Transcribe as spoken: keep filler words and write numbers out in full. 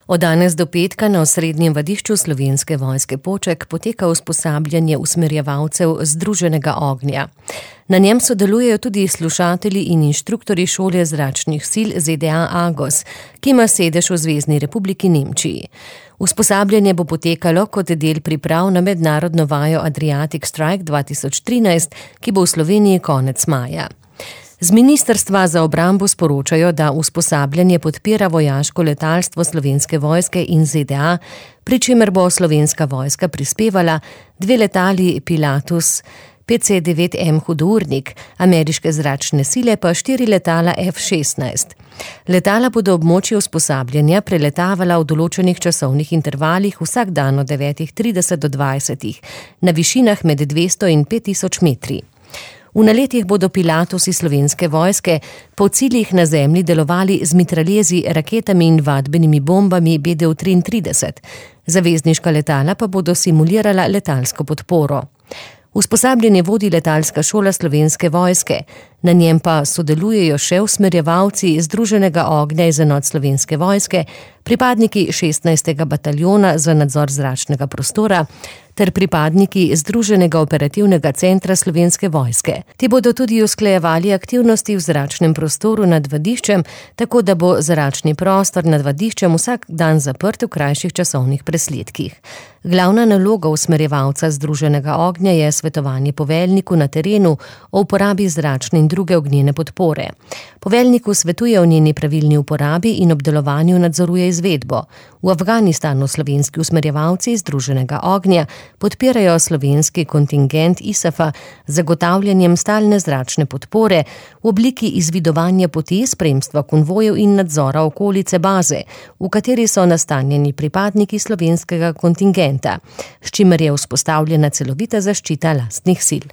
Od danes do petka na osrednjem vadišču Slovenske vojske Poček poteka usposabljanje usmerjevalcev Združenega ognja. Na njem sodelujejo tudi slušatelji in inštruktorji šole zračnih sil Z D A Agos, ki ima sedež v Zvezni republiki Nemčiji. Usposabljanje bo potekalo kot del priprav na mednarodno vajo Adriatic Strike dva tisoč trinajst, ki bo v Sloveniji konec maja. Z ministrstva za obrambo sporočajo, da usposabljanje podpira vojaško letalstvo Slovenske vojske in Z D A, pri čemer bo Slovenska vojska prispevala dve letali Pilatus P C devet M Hudournik, ameriške zračne sile pa štiri letala F šestnajst. Letala bodo območje usposabljanja preletavala v določenih časovnih intervalih vsak dan od devetih trideset do dvajsetih, na višinah med dvesto in pet tisoč metri. V naletih bodo Pilatusi Slovenske vojske po ciljih na zemlji delovali z mitraljezi, raketami in vadbenimi bombami B D triintrideset. Zavezniška letala pa bodo simulirala letalsko podporo. Usposabljanje vodi letalska šola Slovenske vojske, na njem pa sodelujejo še usmerjevalci Združenega ognja iz enot Slovenske vojske, pripadniki šestnajstega bataljona za nadzor zračnega prostora ter pripadniki Združenega operativnega centra Slovenske vojske. Ti bodo tudi usklajevali aktivnosti v zračnem prostoru nad vadiščem, tako da bo zračni prostor nad vadiščem vsak dan zaprt v krajših časovnih presledkih. Glavna naloga usmerjevalca Združenega ognja je svetovanje poveljniku na terenu o uporabi zračne in druge ognjene podpore. Poveljniku svetuje o njeni pravilni uporabi in obdelovanju nadzoruje izvedbo. V Afganistanu slovenski usmerjevalci Združenega ognja podpirajo slovenski kontingent I S A F-a z zagotavljanjem stalne zračne podpore v obliki izvidovanja poti, spremstva konvojev in nadzora okolice baze, v kateri so nastanjeni pripadniki slovenskega kontingenta, s čimer je vzpostavljena celovita zaščita lastnih sil.